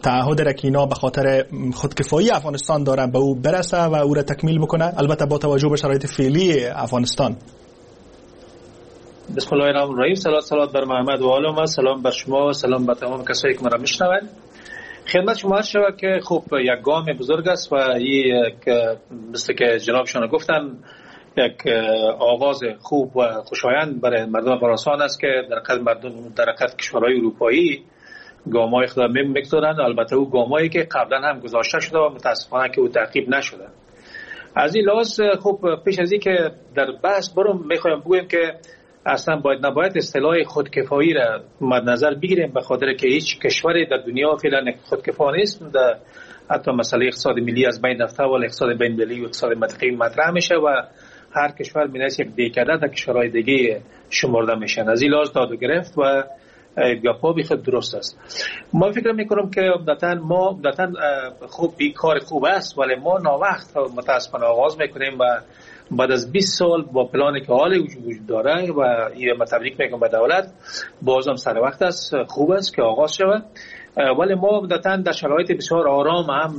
تعهد را که اینا به خاطر خودکفایی افغانستان دارن به او برسه و او را تکمیل بکنه، البته با توجه به شرایط فعلی افغانستان؟ بسم الله الرحمن الرحیم. صلوات بر محمد و آل محمد. سلام بر شما و سلام بر تمام کسایی که مرا میشنوند. خدمت شما عرض شود که خب یک گام بزرگ است و یک مثل که جنابشان گفتن یک آغاز خوب و خوشایند برای مردم افغانستان است که در قد مردم در قد کشورهای اروپایی گام‌های خود می‌گذارند، البته او گام‌هایی که قبلا هم گذاشته شده و متاسفانه که او تعقیب نشده. از این لحاظ خب پیش از اینکه در بحث برم می‌خوایم بگویم که اصلا باید نباید اصطلاح خودکفایی را مد نظر بگیریم، به خاطر که هیچ کشوری در دنیا فعلا خودکفا نیست. در حتی مسئله اقتصاد ملی از بین رفته و اقتصاد بین المللی و اقتصاد منطقه‌ای مطرح میشه و هر کشور می‌نویسه یک دیکده در کشورهای دیگه شمرده میشن. از این لحاظ داد و گرفت و گپا بی خود درست است. ما فکر میکنم که عمدتاً ما عمدتاً خوب بی کار خوب است، ولی ما ناوقت متاسفانه آغاز میکنیم و بعد از 20 سال با پلانی که حال وجود داره و این ما تبریک میگم به دولت، بازم سر وقت است، خوب است که آغاز شود، ولی ما عمدتاً در شرایط بسیار آرام هم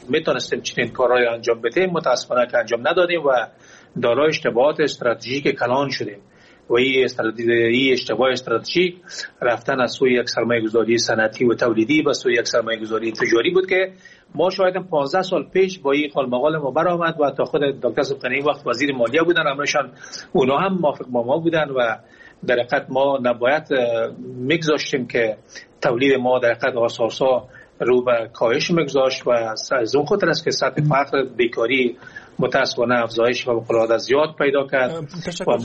میتونستیم چنین کارهای انجام بدیم، متاسفانه که انجام ندادیم و دارای اشتباهات استراتژیک کلان شدیم و این اشتباه استراتژیک رفتن از سوی یک سرمایه‌گذاری صنعتی و تولیدی به سوی یک سرمایه‌گذاری تجاری بود که ما شاید 15 سال پیش با این قال مقال ما برآمد و تا خود دکتر سبحانی وقت وزیر مالیه بودن، امرشان اونا هم موافق با ما بودن و در حقیقت ما نباید میگذاشتیم که تولید ما در حقیقت اساسا رو به کاهش میگذاشت و از اون خاطر است که سطح فقر، بیکاری متاسفانه افزایش و فوق زیاد پیدا کرد. تشکر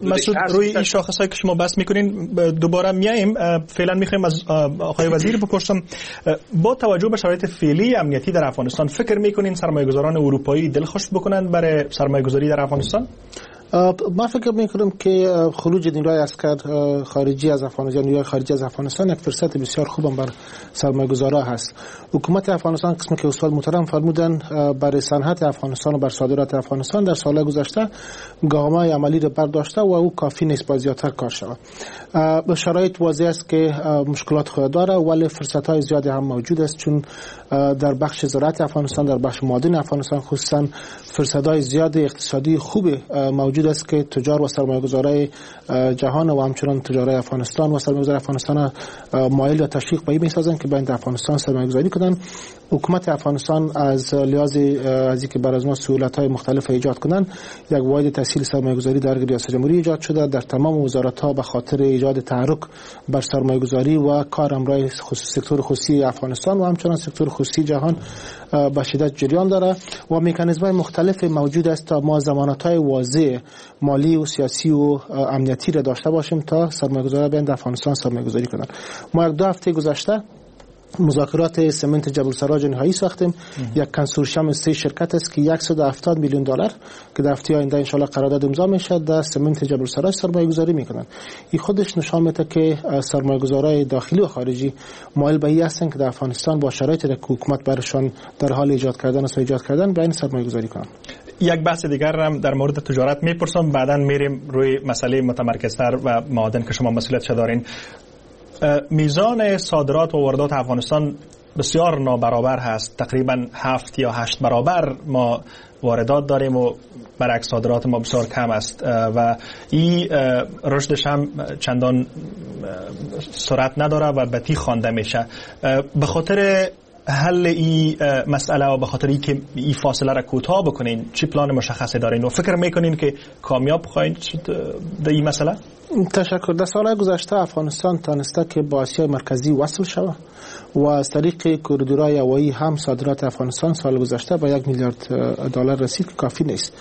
مسعود. روی این شاخص‌هایی که شما بحث میکنین دوباره میایم. فعلا میخوایم از آقای وزیر بپرسم با توجه به شرایط فعلی امنیتی در افغانستان فکر میکنین سرمایه‌گذاران اروپایی دلخوش بکنند برای سرمایه‌گذاری در افغانستان؟ ما فکر میکنم که خروج نیروهای عسکر خارجی از افغانستان، نیروهای خارجی از افغانستان یک فرصت بسیار خوب بر سرمایه‌گذارا هست. حکومت افغانستان قسمی که استاد محترم فرمودن برای صنعت افغانستان و بر صادرات افغانستان در سال‌های گذشته گام‌های عملی را برداشته و او کافی نیست، باید زیادتر کار شود. شرایط واضح است که مشکلات خود داره، ولی فرصت‌های زیادی هم موجود است، چون در بخش زراعت افغانستان، در بخش معادن افغانستان خصوصا فرصت‌های زیاد اقتصادی خوب موجود است که تجار و سرمایه‌گذارای جهان و همچنان تجارای افغانستان و سرمایه‌گذار افغانستان مایل و تشویق به این می‌سازند که باید افغانستان سرمایه‌گذاری کنند. حکومت افغانستان از لحاظ از اینکه بر از ما سهولت‌های مختلف ایجاد کنند، یک واحد تسهیل سرمایه‌گذاری در ریاست جمهوری ایجاد شده در تمام وزارت‌ها به خاطر ایجاد تحرک بر سرمایه‌گذاری و کار همراه سکتور خصوصی افغانستان و همچنان سکتور خصوصی جهان به شدت جریان داره و مکانیزم‌های مختلف موجود است تا ما ضمانت‌های واضح مالی و سیاسی و امنیتی را داشته باشیم تا سرمایه‌گذاران بیان در افغانستان سرمایه‌گذاری کنند. ما یک دو هفته گذشته مذاکرات سمنت جبل سراج نهایی ساختیم. یک کنسورسیوم 3 شرکت است که 170 میلیون دلار که در هفته آینده ان شاء الله قرارداد امضا میشه در سمنت جبل سراج سرمایه گذاری میکنن. این خودش نشان میده که سرمایه گذارای داخلی و خارجی مایل به این هستند که در افغانستان با شرایطی که حکومت برشان در حال ایجاد کردن است ایجاد کردن به این سرمایه گذاری کنند. یک بحث دیگر هم در مورد تجارت میپرسم، بعدا میریم روی مسئله متمرکزتر و معادن که شما مسئولیتش دارین. میزان صادرات و واردات افغانستان بسیار نابرابر هست، تقریبا 7 یا 8 برابر ما واردات داریم و برعکس صادرات ما بسیار کم است و این رشدش هم چندان سرعت نداره و بطی خوانده میشه. به خاطر حل این مسئله و به خاطر اینکه این فاصله را کوتاه بکنین چی پلان مشخصی دارین و فکر میکنین که کامیاب خواهید شد در این مسئله؟ تشکر. در سالهای گذشته افغانستان تانسته که با آسیای مرکزی وصل شود و از طریق کوریدورهای هوایی هم صادرات افغانستان سال گذشته به 1 میلیارد دلار رسید که کافی نیست.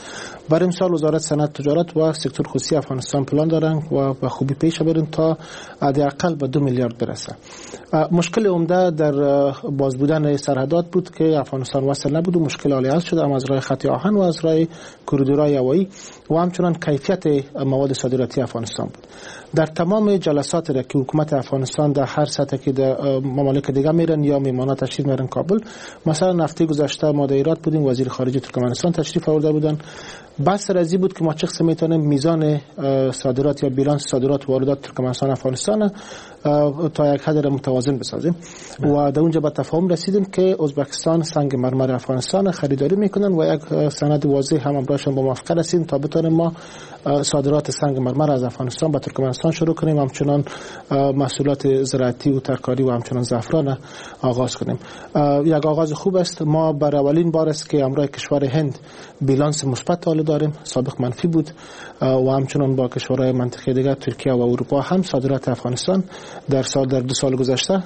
برای مثال وزارت صنعت تجارت و سکتور خصوصی افغانستان پلان دارند و به خوبی پیش بریم تا حداقل به 2 میلیارد برسه. مشکل عمده در باز بودن سرحدات بود که افغانستان وصل نبود و مشکل حل شده، هم از راه خط آهن و از راه کوریدورهای هوایی و همچنان کیفیت مواد صادراتی افغانستان بود. در تمام جلسات را که حکومت افغانستان در هر سطح که در ممالک دیگه میرن یا میمانا تشریف میرن کابل، مثلا هفته گذشته ما در ایران بودیم، وزیر خارجه ترکمنستان تشریف آورده بودن، بحث سر از بود که ما چه قسم میتونیم میزان صادرات یا بیلانس صادرات و واردات ترکمنستان افغانستان تا یک حد را متوازن بسازیم و در اونجا به تفاهم رسیدیم که ازبکستان سنگ مرمر افغانستان خریداری میکنن و یک سند واضح هم همراهشان با موافقه رسیدیم تا بتونیم ما صادرات سنگ مرمر از افغانستان به ترکمنستان شروع کنیم، همچنان محصولات زراعتی و ترکاری و همچنان زعفران آغاز کنیم. یک آغاز خوب است. ما بر اولین بار است که همراه کشور هند بیلانس مثبت حال داریم، سابق منفی بود، و همچنان با کشورهای منطقه دیگر ترکیه و اروپا هم صادرات افغانستان در 2 سال گذشته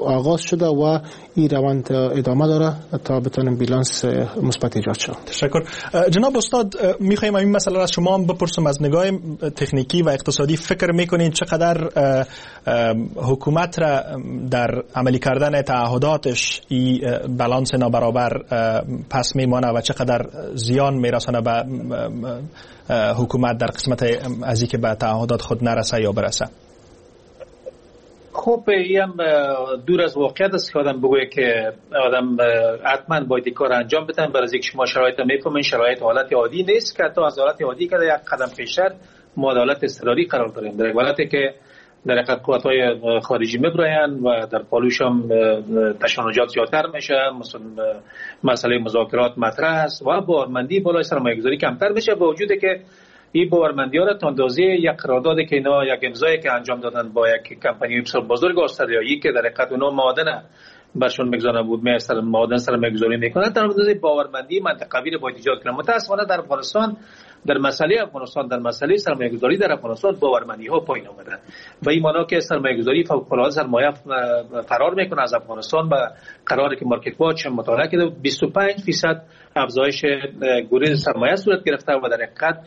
آغاز شده و این روند ادامه داره تا بتونیم بیلانس مثبت ایجاد شود. تشکر. جناب استاد، میخوایم این مسئله را از شما بپرسم، از نگاه تکنیکی و اقتصادی فکر میکنین چقدر حکومت را در عملی کردن تعهداتش این بالانس نابرابر پس میمانه و چقدر زیان میرسانه به حکومت در قسمت از اینکه به تعهدات خود نرسه یا برسه؟ خب این هم دور از واقعیت است که آدم بگویه که آدم حتما باید کار انجام بدن. برای اینکه شما شرایط میفهمین، شرایط حالت عادی نیست که حتی از حالت عادی که یک قدم پیشتر ما حالت اضطراری قرار داریم، در حالتی که در حقیقت قوت‌های خارجی میبراین و در پالوش هم تشنجات زیادتر میشه، مسئله مذاکرات مطرح است و باورمندی بالای سرمایه‌گذاری کمتر میشه، با وجود که این باورمندی‌ها را تا اندازه یک قرارداد که اینا یک امضایی که انجام دادن با یک کمپانی بسیار بزرگ استرالیایی که در حقیقت اونا معادن برشون میگذارن بود، میستر معادن سرمایه‌گذاری میکنن، تا اندازه باورمندی منطقوی رو باید ایجاد کنن. متاسفانه در افغانستان، در مسئله افغانستان، در مسئله سرمایه‌گذاری در افغانستان باورمندی‌ها پایین آمده و این معنا که سرمایه‌گذاری فوق العاده سرمایه فرار میکنه از افغانستان. با قراری که مارکت واچ مطالعه کرده 25% افزایش گریز سرمایه صورت گرفته و در حقیقت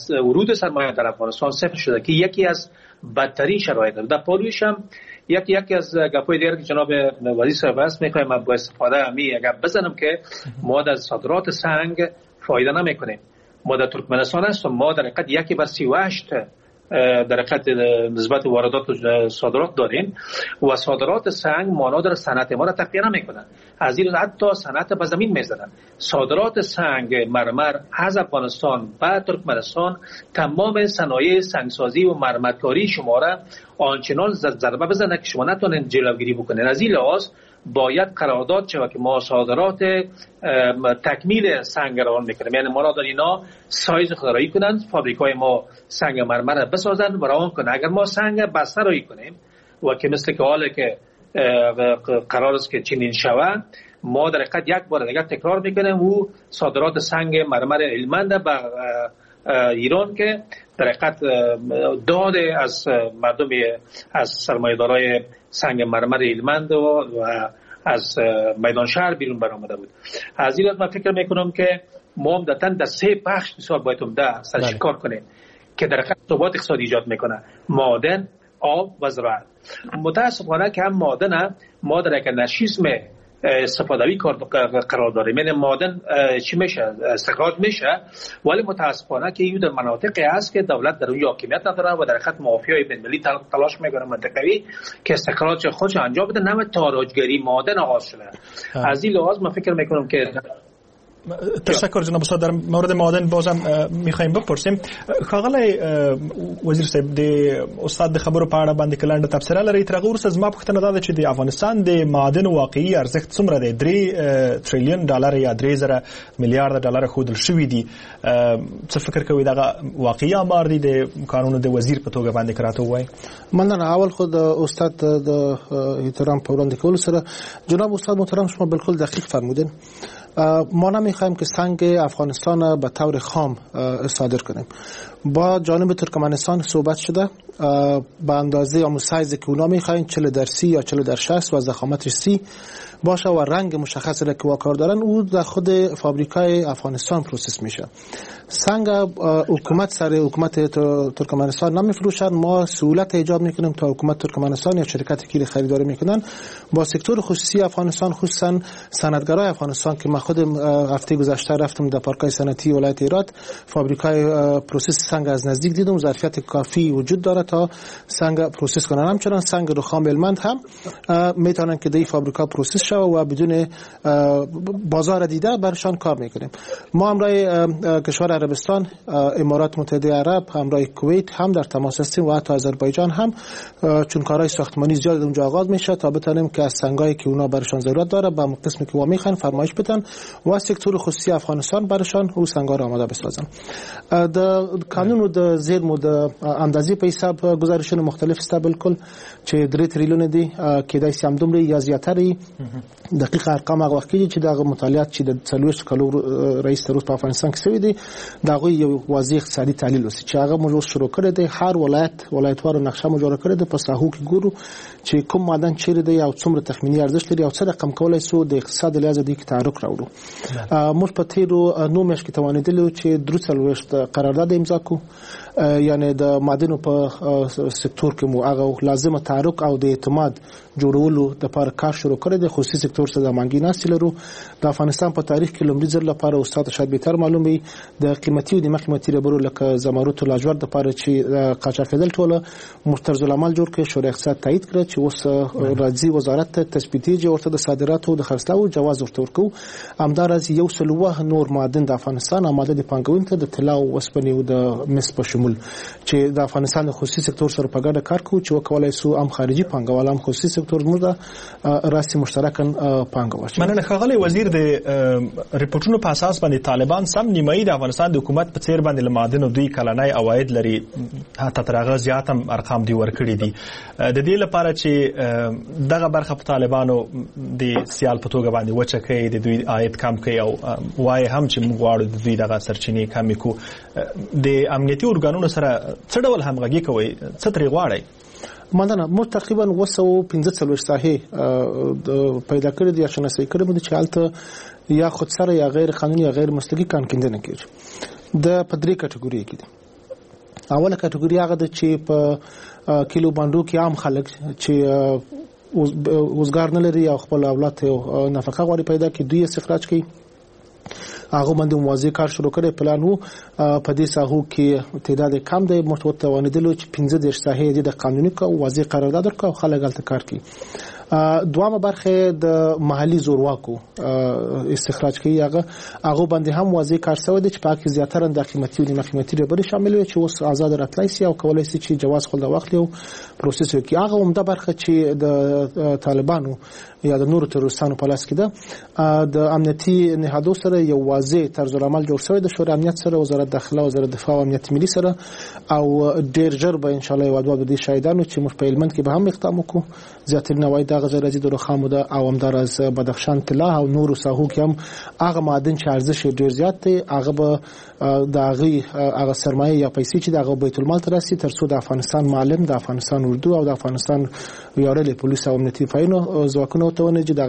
ورود سرمایه در افغانستان صفر شده که یکی از بدترین شرایط. در پالویش هم یکی از گپ‌های دیگر که جناب وزیر صاحب است، می‌خوایم با استفاده امی گپ بزنم که ما در صادرات سنگ فایده نمی‌کنیم. ما در ترکمنستان هستیم، ما در حقیقت 1/38 در حقیقت نسبت واردات و صادرات داریم و صادرات سنگ مانا در صنعت ما را تقویه نمی‌کنن. از این حتی صنعت به زمین می‌زنن. صادرات سنگ مرمر از افغانستان به ترکمنستان تمام صنایع سنگسازی و مرمرکاری شما را آنچنان ضربه بزنه که شما نتونید جلوگیری بکنید. از این لحاظ باید قرارداد شود که ما صادرات تکمیل سنگ روان میکنیم، یعنی ما را در اینا سایز خود کنند، فابریکای ما سنگ مرمر بسازند و روان کنند. اگر ما سنگ بسته رایی کنیم و که مثل که حاله که قرار است که چنین شود، ما در حقیقت یک بار دیگر تکرار میکنیم و صادرات سنگ مرمر المند به ایران که در حقیقت داد از مردم، از سرمایه‌دارای سنگ مرمر المند و از میدان شهر بیرون برآمده بود. از این من فکر میکنم که ما عمدتاً در 3 بخش بسیار باید عمده سرش کار کنیم که در حقیقت ثبات اقتصادی ایجاد میکنه: معادن، آب و زراعت. متاسفانه که هم معادن ما در یک نشیسم استفاده‌ای قرار داریم، یعنی معادن چی میشه، استخراج میشه، ولی متاسفانه که این در مناطقی هست که دولت در اون حاکمیت نداره و در خط مافیای بین‌المللی تلاش میکنه منطقوی که استخراج خودش انجام بده. نوع تاراجگری معادن آغاز شده. از این لحاظ من فکر میکنم که تشکر جناب استاد. در مورد معادن بازم میخوایم بپرسیم. ښاغلی وزیر صاحب، د استاد د خبرو په اړه باندې کلنډه تبصره لري. تر هغه وروسته زما پوښتنه دا ده چې د افغانستان د معادن واقعي ارزښت څومره دی؟ 3 تریلیون ډالر یا 3000 میلیارډ ډالر ښودل شوي دي. څه فکر کوئ دغه واقعي آمار دی د کانونو د وزیر په توګه باندې کراته ووایي؟ مننه. اول خود استاد د احترام په وړاندې کولو سره، جناب استاد محترم، شما بالکل دقیق فرمودین. ما نمیخوایم که سنگ افغانستان به طور خام صادر کنیم. با جانب ترکمنستان صحبت شده به اندازه یا سایز که اونا میخواین 40/30 یا 40/60 و ضخامتش 30 باشه و رنگ مشخص را که کار دارن او در خود فابریکای افغانستان process میشه. سنگ حکومت سر حکومت ترکمنستان نمیفروشن، ما سهولت ایجاد میکنیم تا حکومت ترکمنستان یا شرکت که خریداری میکنن با سکتور خصوصی افغانستان، خصوصا صنعتگرای افغانستان که من خودم هفته گذشته رفتم در پارکای صنعتی ولایت هرات، فابریکای process سنگ سنگ از نزدیک دیدم، ظرفیت کافی وجود داره تا سنگ process کنن. همچنان سنگ رخام هلمند هم میتونن که دی فابریکا process شوه و بدون بازار دیده برشان کار میکنیم. ما همراه کشور عربستان، امارات متحده عرب، همراه کویت هم در تماس هستیم و حتی آذربایجان هم، چون کارهای ساختمانی زیاد اونجا آغاز میشه تا بتونیم که از سنگایی که اونا برشان ضرورت داره به قسمی که وا میخوان فرمایش بدن و سکتور خصوصی افغانستان برشان او سنگا را آماده بسازن. د کانونو د زیرمو د اندازې په حساب گزارشونه مختلف سته، بالکل چې 3 تریلیون دي، کېدای شي همدومره یا زیاتره. دقیق ارقام هغه وخت کېږي چې دغه مطالعات چې د 40 کلو رئیس تر اوسه په افغانستان کې شوي دي، د هغوی یو واضح اقتصادي تحلیل وسي چې هغه موږ اوس شروع کړی دی. هر ولایت ولایتوارو نقشه مو جوړه کړې ده، په ساحو کې ګورو چې کوم معدن چیرې دی او څومره تخمیني ارزښت لري او څه رقم کولای سو د اقتصاد له لحاظه دې کې تحرک راوړو. موږ په تیرو 9 میاشتو کې توانېدلي وو چې 43 قرارداد امضا کړو، یعنی د معدنو په سکتور کې مو هغه لازمه تحرک او د اعتماد جوړولو لپاره کار شروع کړی دی. خصوصي سکتور سره د هماهنګي ناستې لرو. د افغانستان په تاریخ کې لومړي ځل لپاره استاد شاید بهتر معلوم وي د قیمتي او نیمه قیمتي ډبرو لکه زمرد او لاجورد لپاره چې قاچاق کېدل ټوله موږ طرزالعمل جوړ کړ، شورای اقتصاد تایید کړ چې اوس راځي وزارت ته تثبیتېږي، ورته د صادراتو د خرڅلاو جواز ورته ورکوو. همداراز 107 نور معادن د افغانستان آماده دي پانګونې ته، د طلا او اوسپنې او د مس په شمول، چې د افغانستان د خصوصي سکتور سره په ګډه کار کوو چې وکولای سو هم خارجي پانګوال هم خصوصي سکتور موږ راسي مشترکاً پانګه واچوي. مننه ښاغلی وزیر. د رپورټونو په اساس باندې طالبان سم نیمایي د افغانستان د حکومت په څیر باندې له معادنو دوی کلنی عواید لري، حتی تر هغه زیات هم ارقام دوی ورکړي دي. د دې لپاره چې دغه برخه په طالبانو د سیال په توګه باندې وچه کوي، د دوی عاید کم کوي او وایي هم چې موږ غواړو د دوی دغه سرچینې کمې کړو، د امنیتي ارګانونو سره څه ډول همغږي کوئ، څه ترې غواړئ؟ مننه. موږ تقریبا 245 ساحې پیدا کړې دي یا شناسایي کړې دي چې هلته یا خودسره یا غیر قانوني یا غیر مسلکي کان کیندنه کېږي. د په درې کټګوري کې دي. اوله کټګوري هغه ده چې په کیلو باندو کې عام خلک چې وزګار نه لري او خپل اولاد ته نفقه غواړي پیدا کړي، دوی استخراج کوي. هغه باندې موازي کار شروع کړی، پلان وو. په دې ساحو کې تعداد کم دی، موږ ورته توانېدلو چې 35 ساحې دې د قانوني کو واضح قرارداد ورکړو او خلک هلته کار کوي. دوامه برخه د محلي زورواکو استخراج کوي، هغه باندې هم واضح کار شوی دی چې په کې زیاتره د قیمتي او نیمه قیمتي ډبرې شامل وي چې اوس آزاد راتلای سي او کولای سي چې جواز خپل واخلي او process وکړي. هغه عمده برخه چې د طالبانو یا د نورو تروریستانو په لاس کې ده، د امنیتي نهادو سره یو واضح طرزالعمل جوړ شوی د شورای امنیت سره، وزارت داخله، وزارت دفاع او امنیت ملي سره، او ډیر ژر به ان شاء الله یو دوه د دې شاهدانو چې موږ په هلمند کې به هم اقدام وکړو. زیاتره نواحي دغه ځای راځي د رخامو ده او همداراز بدخشان طلا او نورو ساحو کې هم هغه معادن چې ارزش یې ډیر زیات دی، هغه به د هغې هغه سرمایه یا پیسې چې د هغه بیت المال ته راسي، تر څو د افغانستان معلم، د افغانستان اردو او د افغانستان ویاړلې پولیس او امنیتي ځواکونو ته ونه چې دغه